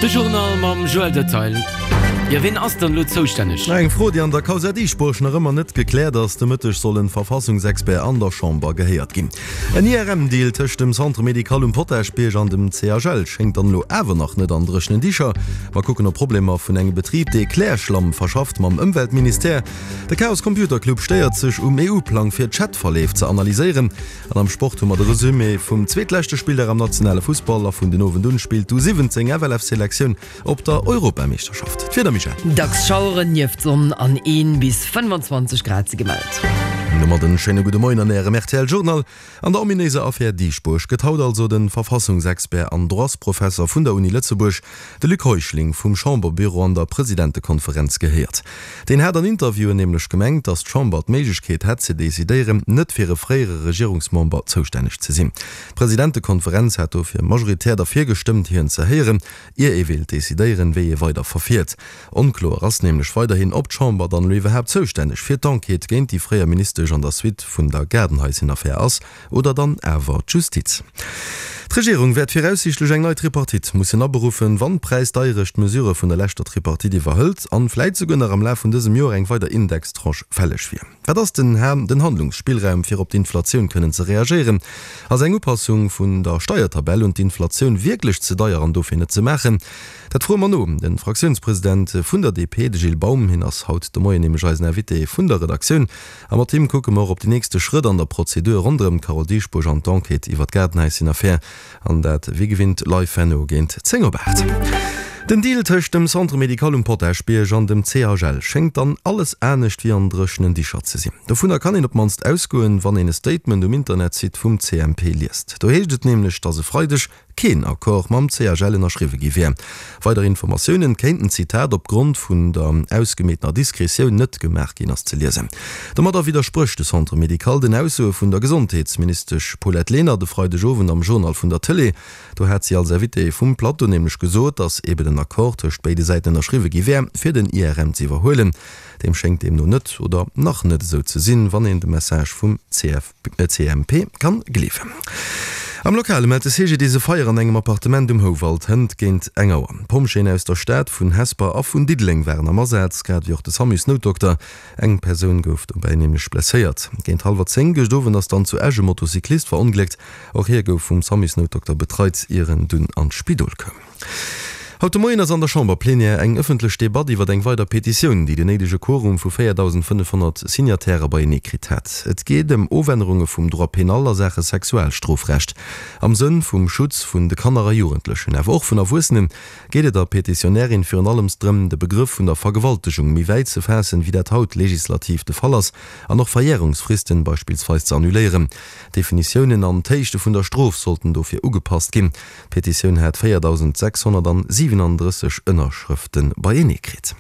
De Journal mam Joël Detail. Jo, wien ass dann elo zoustänneg? Eng Fro, déi an der Causa Dieschbourg nach ëmmer net gekläert ass. De Mëtteg soll en Verfassungsexpert an der Chamber gehéiert ginn. En IRM-Deal tëscht dem Centre médical um Potaschbierg an dem CHL schéngt dann elo awer nach net an dréchenen Dicher. Mer kucken op Problemer vun engem Betrib, dee Klärschlamm verschafft, mam Ëmweltministère. De Chaos Computer Club stéiert sech um EU-Plang fir Chatverleef ze analyséieren. An am Sport hu mer de Resumé vum zweetleschte Spilldag am nationale Fussball a vun den Owend un spillt d'U17 FLF Selektioun op der Europameeschterschaft. D'Wieder, Michèle? Dacks Schaueren nieft Sonn an 1 bis 25 Grad si gemellt. Domat en schéine gudde Moien an Ärem rtl Journal. An der ominéiser Affär Dieschbourg gëtt haut also de Verfassungsexpert an Droitsprofesser vun der Uni Lëtzebuerg, de Luc Heuschling, vum Chamberbüro an der Presidentekonferenz gehéiert. Deen hat an Interviewen nämlech gemengt, datt d'Chamber d'Méiglechkeet hätt ze decidéieren, net fir e fréiere Regierungsmember zoustänneg ze sinn. D'Presidentekonferenz hat dofir majoritär derfir gestëmmt, hien ze héieren, ier ee wéilt decidéieren, wéi ee weider verfiert. Onkloer ass nämlech weiderhin, ob d'Chamber dann elo iwwerhaapt zoustänneg fir d'Enquête géint déi fréier Ministesch an der Suite vun der Gaardenhaissenaffär ass oder dann awer d'Justiz. D'Regierung wäert viraussiichtlech eng nei Tripartite mussen aberuffen, wann d'Präisdeierecht d'Mesurë vun der leschter Tripartite iwwerhëlt an vläit souguer nach am Laf vun dësem Joer eng weider Indextranche fälleg wier. Wat ass den den Handlungsspillraum fir op d'Inflatioun kënnen ze reagéieren? Ass eng Upassung vun der Steiertabell un d'Inflatioun wierklech ze deier an dofir net ze maachen? Dat froe mer no de Fraktiounspresident vun der DP, de Gilles Baum. Hien ass haut de Moien nämlech eisen Invité vun der Redaktioun. A mat him kucke mer och op déi nächste Schrëtt an der Prozedur ronderëm d'Carole Dieschbourg an d'Enquête iwwer d'Gaardenhaischenaffär. An dat wéi gewinnt live herno géint 10 op 8. Den Deal tëscht dem Centre médical um Potaschbierg an dem CHL schéngt dann alles anescht wéi an dréchenen Dicher ze sinn. Dovunner kann een op d'mannst ausgoen, wann een e Statement um Internetsite vum CMP liest. Do heescht et nämlech, datt e Freideg keen Accord mam CHL ënnerschriwwe gi wär. Weider Informatiounen kéinten, Zitat, op Grond vun der ausgemeetener Diskretioun net gemaach ginn, ass ze liesen. Domadder widdersprécht de Centre médical den Aussoe vun der Gesondheetsministesch Paulette Lenert e Freidegowend am Journal vun der Tëlee. Do hat si als Invitée vum Plateau nämlech gesot, datt eben en Accord tëscht béide Säiten ënnerschriwwe gi wär, fir den IRM ze iwwerhuelen. Deem schéngt deemno net oder nach net esou ze sinn, wann een de Message vum CFP. CMP kann gleewen. Am Lokale mellt de CGDIS e Feier an engem Appartement um Houwald hënt géint eng Auer. D'Pompjeeën aus der Stad, vun Hesper a vun Diddeleng waren am Asaz, grad ewéi och de Samusnoutdokter. Eng Persoun gouf dobäi nämlech blesséiert. Géint hallwer 10 gëscht Owend ass dann zu Esch e Motocyclist verongléckt. Och hie gouf vum Samusnoutdokter betreit, ier en dunn an d'Spidol koum. Haut de Moien ass an der Chamberplenière eng ëffentlech Debatt iwwer eng weider Petitioun, déi den néidege Quorum vu 4.500 Signatairë beienee kritt hat. Et geet ëm Ofännerunge vum Droit pénal a Saache Sexualstrofrecht. Am Sënn vum Schutz vun de Kanner a Jugendlechen, awer och vun Erwuessenen, geet et der Petitionärin virun allems drëm, de Begrëff vun der Vergewaltegung méi wäit ze faassen, wéi dat haut legislativ de Fall ass, an och Verjärungsfristen beispillsweis ze annuléieren. D'Definitiounen an d'Héichte vun der Strof sollten dofir ugepasst ginn. D'Petitioun hat 4.637 Ënnerschrëfte beienee kritt.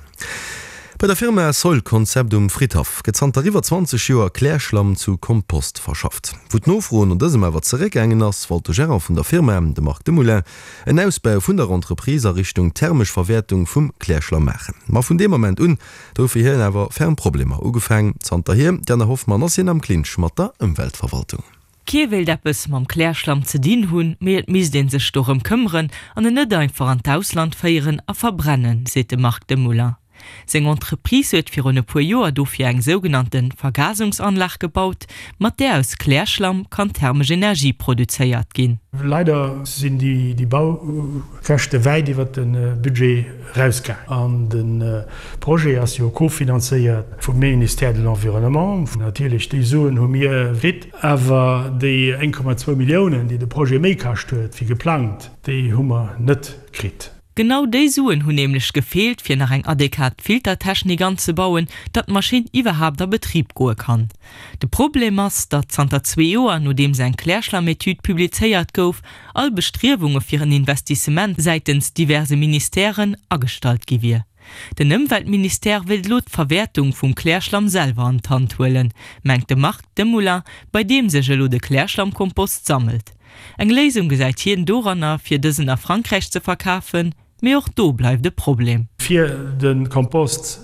Bei der Firma Soil Concept um Fridhaff gëtt zanter iwwer 20 Joer Klärschlamm zu Kompost verschafft. Wou d'Nofro no dësem awer zeréckgaangen ass, wollt de Gerant vun der Firma, de Marc Demoulin, en Ausbau vun der Entreprise a Richtung thermesch Verwäertung vum Klärschlamm maachen. Ma vun deem Ament un do hu fir hien awer ferm Problemer ugefaang. Zanterhier, Diana Hoffmann, ass hien am Clinch mat der Ëmweltverwaltung. Kee wéilt eppes mam Klärschlamm ze dinn hunn, mee et misst ee sech dorëm këmmeren an en net einfach an d'Ausland féieren a verbrennen, seet de Marc Demoulin. Seng Entreprise huet virun e puer Joer dofir eng sougenannte Vergasungsanlag gebaut, mat där aus Klärschlamm kann thermesch Energie produzéiert ginn. Leider sinn déi Baukäschte wäit iwwer de Budget erausgaangen an de Projet ass jo cofinanzéiert vum Ministère de l'Environnement. Natierlech, déi Suen hu mir kritt. Awer déi 1,2 Milliounen, déi de Projet méi kascht huet wéi geplangt, déi hu mer net kritt. Genau déi Suen hunn nämlech gefeelt, fir nach eng adequat Filtertechnik anzebauen, datt d'Maschinn iwwerhaapt a Betrib goe kann. De Problem ass, datt zanter zwee Joer, nodeems eng Klärschlammetüd publizéiert gouf, all Bestriewunge fir en Investissement säitens diverse Ministèren agestallt gi wier. Den Ëmweltministère wéilt elo d'Verwäertung vum Klärschlamm selwer an d'Hand huelen, mengt de Marc Demoulin, bei deem sech elo de Klärschlammkompost sammelt. Eng Léisung gesäit hien doranner, fir dësen a Frankräich ze verkafen, mee och do bleift e Problem. Fir de Kompost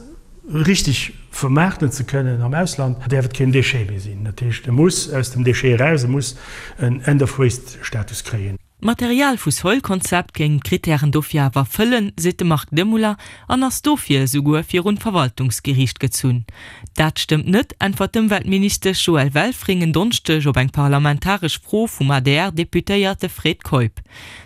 richteg vermaarten ze kënnen am Ausland, däerf et keen Déchet méi sinn. Dat heescht, e muss aus dem Déchet eraus, e muss en End-of-Waste-Status kréien. D'Material vu Soil Concept géing d'Krittären dofir awer erfëllen, seet de Marc Demoulin an ass dofir esouguer virun d'Verwaltungsgeriicht gezunn. Dat stëmmt net, äntwert d'Ëmweltministesch Joëlle Welfring en Donneschdeg op eng parlamentaresch Fro vum ADR-Deputéierte Fred Keup.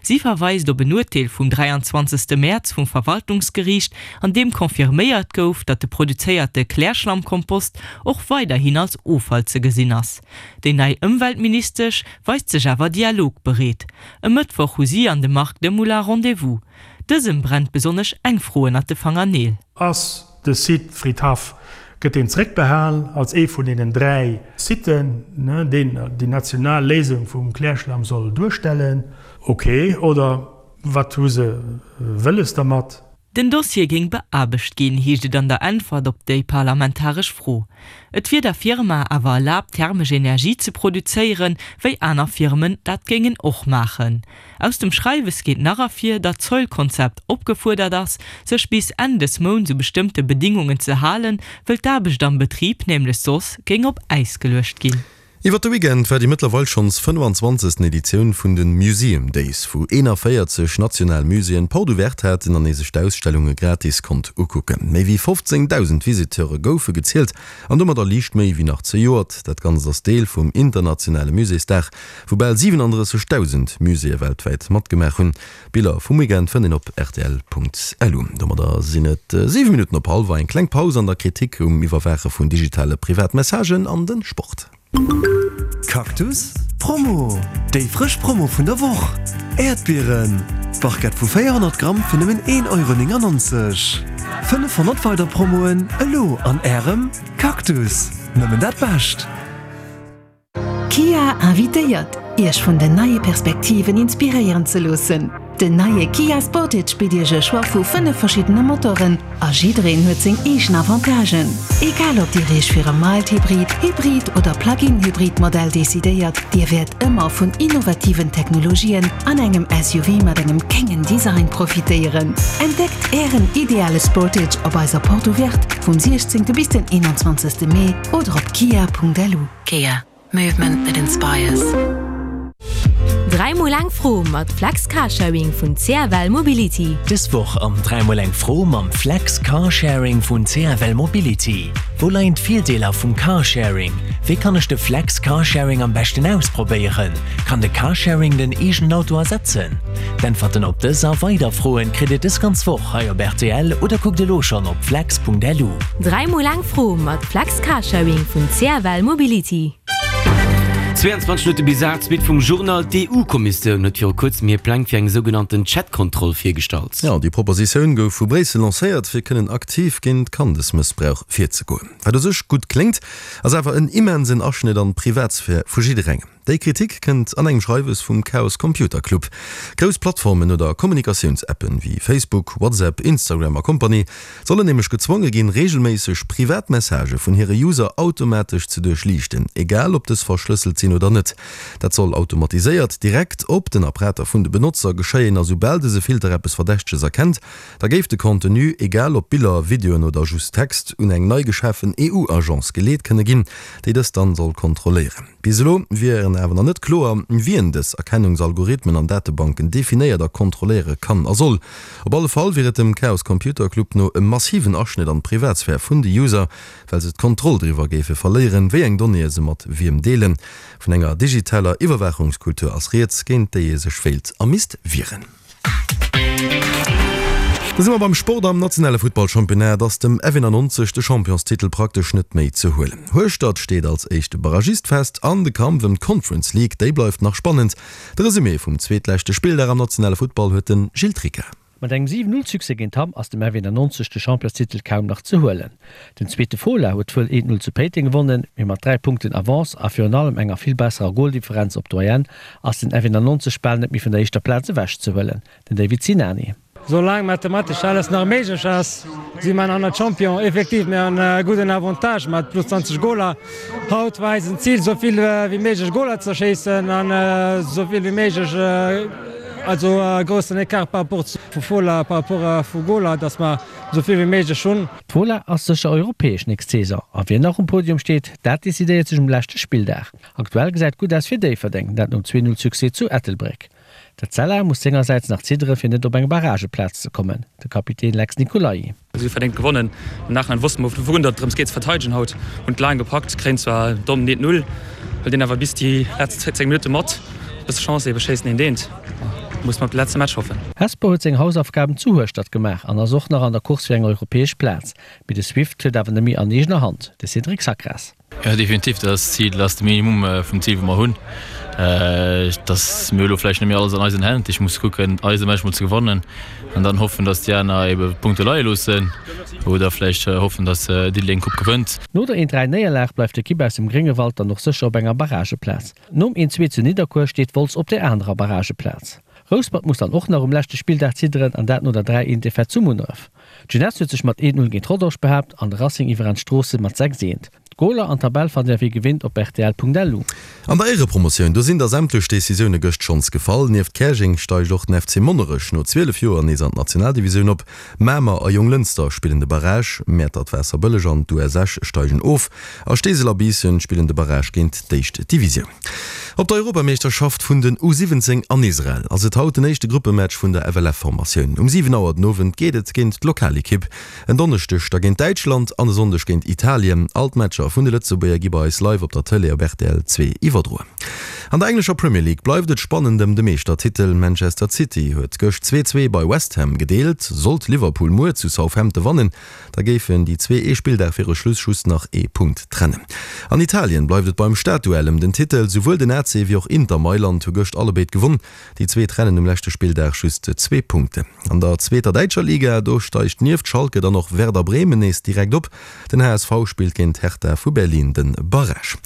Si verweist op en Urteel vum 23. Mäerz vum Verwaltungsgeriicht, an deem confirméiert gouf, datt de produzéierte Klärschlammkompost och weiderhin als Offall ze gesinn ass. Déi nei Ëmweltministesch weist sech awer dialogbereet. E Mëttwoch hu si an de Marc Demoulin Rendez-vous. Dësem brennt besonnesch eng Fro ënnert de Fangerneel. Ass de Site Fridhaff, gëtt deen zeréckbehal als ee vun deenen 3 Siten, deen déi national Léisung vum Klärschlamm soll duerstellen? Ok, oder wat hu se wëlles dermat? Den Dossier géing beaarbecht ginn, heescht et an der Äntwert op déi parlamentaresch Fro. Et wier der Firma awer erlaabt, thermesch Energie ze produzéieren, wéi aner Firmen dat géingen och maachen. Aus dem Schreiwes geet nach ervir, datt d'Soil-Concept opgefuerdert ass, sech bis Enn des Mounts u bestëmmte Bedingungen ze halen, wëll d'Aarbecht am Betrib nämlech soss géing op Äis geluecht ginn. Iwwer de Weekend war déi mëttlerweil schonns 25. Editioun vun de Museum Days, wou 41 national Muséeën Porte ouverte haten an ee sech d'Ausstellunge gratis konnt ukucken. Méi wéi 15.000 Visiteure goufe gezielt an domadder liicht méi wéi nach zejoert. Dat Ganzt ass Deel vum internationale Muséesdag, wou bal 37.000 Muséeë weltwäit matgemaach hunn. Biller vum Weekend fënnt een op rtl.lu. Domadder sinn et 7 Minutten op hallwer. Eng kleng Paus an der Kritik um Iwwerwaache vun digitale Privatmessagen an de Sport. Cactus Promo, Déi frësch Promo vun der Woch! Äerdbieren, Barquette vu 400 Gramm fir nëmmen 1,99 Euro. 500 weider Promoen elo an Ärem Cactus! Nëmmen dat Bescht! Kia invitéiert, Iech vun den neie Perspektiven inspiréieren ze loossen. Den neie Kia Sportage bitt Iech e Choix vu 5 verschiddene Motoren a jiddereen huet seng eegen Avantagen. Egal ob Dir Iech fir e Mild-Hybrid, Hybrid oder Plug-in-Hybrid Modell decidéiert, Dir wäert ëmmer vun innovativen Technologien an engem SUV mat engem kéngen Design profitéieren. Entdeckt Ären ideale Sportage op eiser Porte Ouverte vum 16. bis den 21. Mee oder op kia.lu. Kia, movement that inspires. 3 mol eng Fro mat Flex Carsharing vun CFL Mobility. Dës Woch am 3 mol eng Fro mam Flex Carsharing vun CFL Mobility. Wou leien d'Virdeeler vum Carsharing? Wéi kann ech de Flex Carsharing am beschten ausprobéieren? Kann de Carsharing den eegenen Auto ersetzen? D'Äntwerten op dës a weider Froen kritt Dir dës ganz Woch hei op rtl oder kuckt elo schonn op flex.lu. 3 mol eng Fro mat Flex Carsharing vun CFL Mobility. 22 Minutte bis 8, Suite vum Journal. D'EU-Kommissioun huet viru kuerzem hir Pläng fir eng sougenannten Chat-Kontroll virgestallt. Jo, déi Propositioun gouf vu Bréissel lancéiert, fir kënnen aktiv géint Kandesmëssbrauch virzegoen. Wat u sech gutt kléngt, ass awer en immensen Aschnëtt an d'Privatsphär vu jidderengem. Déi Kritik kënnt an engem Schreiwes vum Chaos Computer Club. Grouss Plattformen oder Kommunikatiounsappen wéi Facebook, WhatsApp, Instagram a Kompanie sollen nämlech gezwonge ginn, reegelméisseg privat Messagë vun hire User automatesch ze duerchliichten, egal ob dës verschlësselt sinn oder net. Dat soll automatiséiert direkt op den Apparater vun de Benotzer geschéien a soubal dëse Filter eppes Verdächteges erkennt, da géif de Contenu, egal ob Biller, Videoen oder just Text, un eng nei geschafen EU-Agence geleet kënne ginn, déi dëst dann soll kontrolléieren. Bis elo wier awer nach net kloer, wien dës Erkennungsalgorithmen an Datebanken definéiert a kontrolléiere kann a soll. Op alle Fall wier et dem Chaos Computer Club no e massiven Aschnëtt an d'Privatsphär vun de User, well se d'Kontroll driwwer géife verléieren, wéi eng Donnéeë se mat wiem deelen. Vun enger digitaler Iwwerwaachungskultur ass rieds, géint déi ee sech wéilt a misst wieren. Da si mer beim Sport. Am nationale Futtballchampionnat ass dem F91 de Championstitel praktesch net méi ze huelen. Hueschtert steet als éischte Barragist fest an de Kampf ëm d'Conference League, déi bleift nach spannend. De Resumé vum zweetleschte Spilldag am nationale Futtball huet de Gilles Tricca. Mat engem 7, 0 Succès géint Hamm ass dem F91 de Championstitel kaum nach ze huelen. Den zweete Fola huet wuel 1, 0 zu Péiteng gewonnen, mee mat 3 Punkten Avance a virun allem enger vill besserer Goldifferenz op d'Doyenne ass den F91 bal net méi vun der éischter Plaz ewech ze huelen. Den David Sinani. Soulaang mathematesch alles nach méiglech ass, si mer nach net Champion. Effektiv, mir hunn e gudden Avantage mat plus 20 Goler. Haut war eisen Zil, esou vill wéi méiglech Goler ze schéissen an esou vill wéi méiglech, also e groussen Ecart par rapport vu Fola, par rapport vu Goler, datt mer esou vill wéi méiglech hunn. D'Fola ass sécher europäesch nächst Saison a wien nach um Podium steet, dat decidéiert sech um leschte Spilldag. Aktuell gesäit gutt aus fir Déifferdeng, dat nom 2 Null Succès zu Ettelbréck. D'Etzella muss sengersäits nach ziddere fir net op eng Barrageplaz ze kommen. De Kapitän Lex Nicolai. Si hu verdéngt gewonnen. Am Nachhinein wosste mer vun datt et drëms geet ze verteidegen. Haut hunn d'Laang gepackt, kréien zwar domm net Null, huelt een awer bis déi letzt 10 Minutte mat. Bësse Chance ebe schéissen een deent. Muss mer op de letze Match hoffen. Hesper huet seng Hausaufgaben zu Hueschtert gemaach an ass och nach an der Course fir eng europäesch Plaz. Mee de Swift huet awer net méi an eegener Hand, de Cédric Sacras. Jo definitiv, dat ass d'Zil, dat ass de Minimum vum Zil wou mer hunn. Dass mir hu lo vläicht net méi alles an eisen Hänn, ech muss kucken eise Match mol ze gewannen an dann hoffen, dass déi aner ebe Punkte leie loossen oder vläicht hoffen, dass Diddeleng d'Coupe gewënnt. No der 1, 3 Néierlag bleift d'Ekipp aus dem Gréngewald dann och sécher op enger Barrageplaz. Nom 1, 2 zu Nidderkuer steet Wolz op der anerer Barrageplaz. Rouspert muss dann och nach um leschte Spilldag zidderen an dat no der 3, 1 Defaite zu Munneref. D'Jeunesse huet sech mat 1, 0 géint Rodange behaapt an de Racing iwwerent Stroossen mat 6, 1. D'Goler an d'Tabell fannt Dir wéi gewinnt op rtl.lu. An der Éierepromotioun, do sinn da sämtlech Decisioune gëscht schonns gefall. Nieft Käerjeng steigt och den FC Monnerech no 12 Joer nees an d'Nationaldivisioun op. Mamer a Jonglënster spillen de Barrage, Mäertert-Waasserbëlleg an d'US Esch steigen of a Steesel a Biissen spillen de Barrage géint d'éischt Divisioun. Op der Europameeschterschaft vun den U 17 an Israel ass et haut den éischte Gruppematch vun der FLF-Formatioun. Um 7 Auer den Owend geet et géint d'Lokalekipp. En Donneschdeg da géint Däitschland an e Sonndeg géint Italien. All d'Matcher vun de Lëtzebuerger gi bei eis live op der Tëlee op rtl 2 iwwerdroen. An der englescher Premier League bleift et spannend ëm de Meeschtertitel. Manchester City huet gëscht 2, 2 bei West Ham gedeelt. Sollt Liverpool muer zu Southampton wannen, da géifen déi zwee ee Spilldag viru Schluss just nach ee Punkt trennen. An Italien bleift et beim Stadduell ëm den Titel. Souwuel den AC wéi och Inter Mailand hu gëscht allebéid gewonn. Déi zwee trennen um leschte Spilldag just zwee Punkten. An der zweeter däitscher Liga, do steigt nieft Schalke dann och Werder Bremen nees direkt op. Den HSV spillt géint Hertha vu Berlin de Barrage.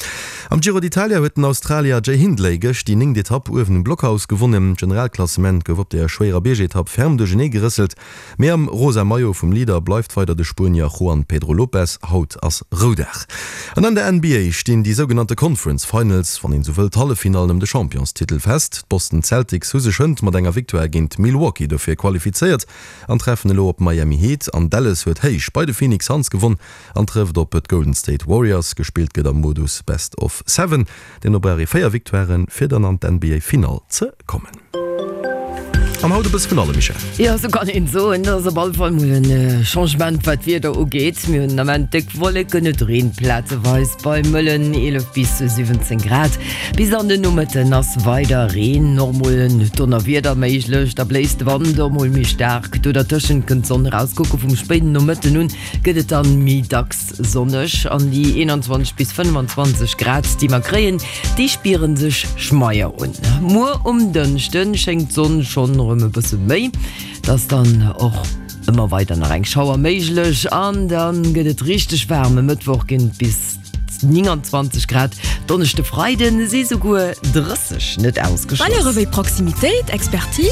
Am Giro d'Italia huet den Australier Jay Hindley gëscht déi néngt Etapp uewen um Blockhaus gewonnen. D'Generalklassement gouf op der schwéierer Biergetapp ferm duerchenee gerësselt. Mee am rosa Maillot vum Leader bleift weider de Spuenier Juan Pedro Lopez. Haut ass Roudag. An an der NBA stinn déi sougenannte Conference Finals, wann een esou wëll, d'Halleffinallen ëm de Championstitel fest. D'Boston Celtics hu sech hënt mat enger Victoire géint Milwaukee dofir qualifizéiert an treffen elo op Miami Heat. An Dallas huet héich bei de Phoenix Suns gewonn an trëfft op d'Golden State Warriors. Gespillt gëtt am Modus Best of Seven. Deemno brauch ee 4 Victoiren, fir dann an d'NBA-Finall ze kommen. An haut e bësse vun allem, Michèle. Jo, sou kann een soen. Et ass op alle Fall mol en Changement, wat d'Wieder ugeet. Mir hunn den Ament déck Wolleken, et reent plazeweis bei mëllen 11 bis 17 Grad. Bis an den Nomëtten ass weider Reen, och mol en Donnerwieder méiglech. Da bléist de Wand och mol méi staark. Do dertëschent kënnt d'Sonn erauskucken. Vum spéiden Nomëtten un gëtt et dann méi dacks Sonneg an déi 21 bis 25 Grad, déi mer kréien, déi spiere sech schmeier un. Muer um Dënschde schéngt d'Sonn schonn erëm e bësse méi, et ass dann och ëmmer weider nach eng Schauer méiglech an da gëtt et richteg waarm. E Mëttwoch ginn et bis 29 Grad, Donneschde, Freide si souguer 30 net ausgeschloss. Valeuren wéi Proximitéit, Expertise.